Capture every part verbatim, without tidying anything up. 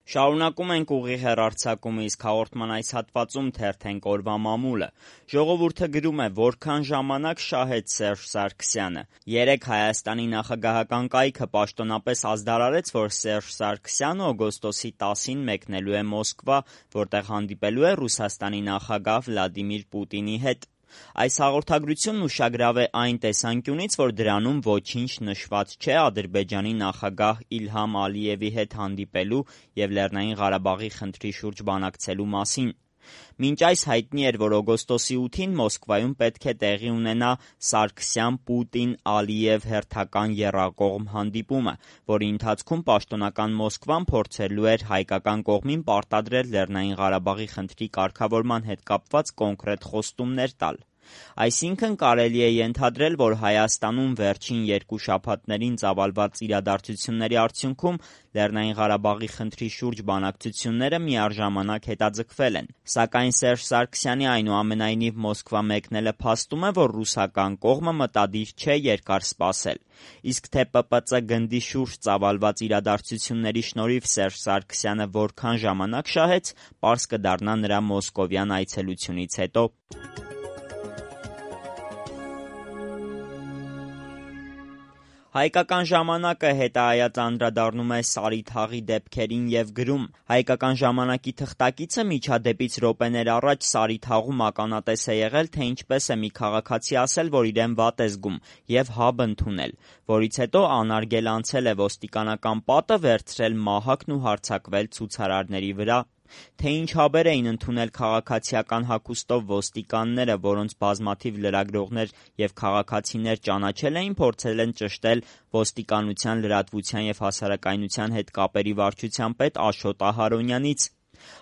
Շարունակում ենք ուղիղ հեռարձակումը, իսկ հաղորդման այս հատվածում թերթենք օրվա մամուլը։ Ժողովուրդը գրում է, որքան ժամանակ շահեց Սերժ Սարգսյանը։ Երեկ Հայաստանի նախագահական կայքը պաշտոնապես ազդարարեց, որ Սերժ Սարգսյանը օգոստոսի տասին մեկնելու է Մոսկվա, որտեղ հանդիպելու է Ռուսաստանի նախագահ Վլադիմիր Պուտինի հետ։ Այս հաղորդագրությունն ուշագրավ է այն տեսանկյունից, որ դրանում ոչինչ նշված չէ Ադրբեջանի նախագահ Իլհամ Ալիևի հետ հանդիպելու և Լեռնային Ղարաբաղի խնդրի շուրջ բանակցելու մասին։ Մինչ այս հայտնի էր, որ օգոստոսի ութին Մոսկվայում պետք է տեղի ունենա Սարգսյան-Պուտին-Ալիև հերթական եռակողմ հանդիպումը, որի ընթացքում պաշտոնական Մոսկվան փորձելու էր հայկական կողմին պարտադրել Լեռնային Ղարաբաղի խնդրի կարգավորման հետ կապված կոնկրետ խոստումներ տալ։ Այսինքն կարելի է ենթադրել, որ Հայաստանում վերջին երկու շաբաթներին ծավալված իրադարձությունների արդյունքում Լեռնային Ղարաբաղի խնդրի շուրջ բանակցությունները միառժամանակ հետաձգվել են։ Սակայն Սերժ Սարգսյանի այնուամենայնիվ Մոսկվա մեկնելը փաստում է, որ ռուսական կողմը մտադիր չէ երկար սպասել։ Իսկ թե Պ Պ Ծ գնդի շուրջ ծավալված իրադարձությունների շնորհիվ Սերժ Սարգսյանը որքան ժամանակ շահեց, պարզ կդառնա նրա մոսկովյան այցելությունից հետո։ Հայկական ժամանակը հետայաց անդրադառնում է Սարիթաղի դեպքերին և գրում. Հայկական ժամանակի թղթակիցը միջադեպից րոպեներ առաջ Սարիթաղում ականատես է եղել, թե ինչպես է մի քաղաքացի ասել, որ իրեն վատ է զգում և հաբ ընդունել, որից հետո անարգել անցել է ոստիկանական պատը, վերցրել մահակն ու հարձակվել ցուցարարների վրա։ Թե ինչ հաբեր էին ընդունել քաղաքացիական հագուստով ոստիկանները, որոնց բազմաթիվ լրագրողներ և քաղաքացիներ ճանաչել էին, փորձել են ճշտել ոստիկանության լրատվության և հասարակայնության հետ կապերի վարչության պետ Աշոտ Ահարոնյանից։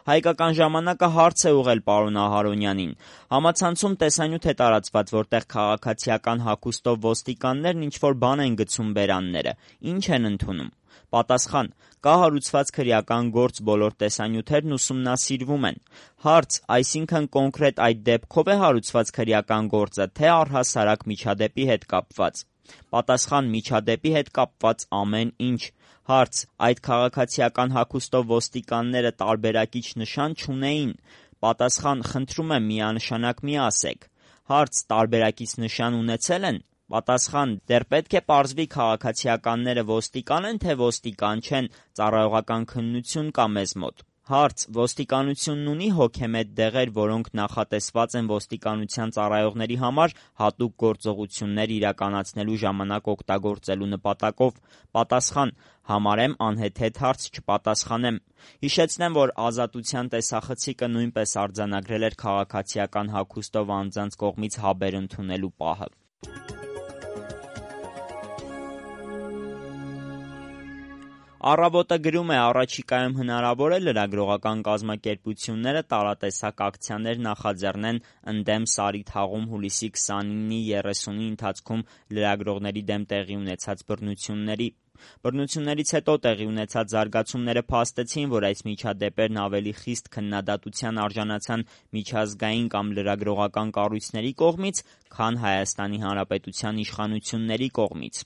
Հայկական ժամանակը հարց է ուղղել պարոն Ահարոնյանին. համացանցում տեսանյութ է տարածված, որտեղ քաղաքացիական հագուստով ոստիկաններն ինչ-որ բան են գցում բերանները, ինչ են ընդունում։ Պատասխան. կա հարուցված քրեական գործ, բոլոր տեսանյութերն ուսումնասիրվում են։ Հարց. այսինքն կոնկրետ այդ դեպքով է հարուցված քրեական գործը, թե առհասարակ միջադեպի հետ կապված։ Պատասխան. միջադեպի հետ կապված ամեն ինչ։ Հարց. այդ քաղաքացիական հագուստով ոստիկանները տարբերակիչ նշան չունեին։ Պատասխան. խնդրում եմ միանշանակ մի ասեք։ Հարց. տարբերակից նշան ունեցել են։ Պատասխան. դեռ պետք է պարզվի քաղաքացիականները ոստիկան են, թե ոստիկան չեն, ծառայողական քննություն կա մեզ մոտ։ Հարց. ոստիկանությունն ունի հոգեմետ դեղեր, որոնք նախատեսված են ոստիկանության ծառայողների համար հատուկ գործողություններ իրականացնելու ժամանակ օգտագործելու նպատակով։ Պատասխան. համարեմ անհեթեթ հարց չպատասխանեմ։ Հիշեցնեմ, որ Ազատության տեսախցիկը նույնպես արձանագրել էր քաղաքացիական հագուստով անձանց կողմից հաբեր ընդունելու պահը։ Առավոտը գրում է. առաջիկայում հնարավոր է լրագրողական կազմակերպությունները տարատեսակ ակցիաներ նախաձեռնեն ընդդեմ Սարիթաղում հուլիսի քսանինի երեսունի ընթացքում լրագրողների դեմ տեղի ունեցած բռնությունների։ Բռնություններից հետո տեղի ունեցած զարգացումները փաստեցին, որ այս միջադեպերն ավելի խիստ քննադատության արժանացան միջազգային կամ լրագրողական կառույցների կողմից, քան Հայաստանի Հանրապետության իշխանությունների կողմից։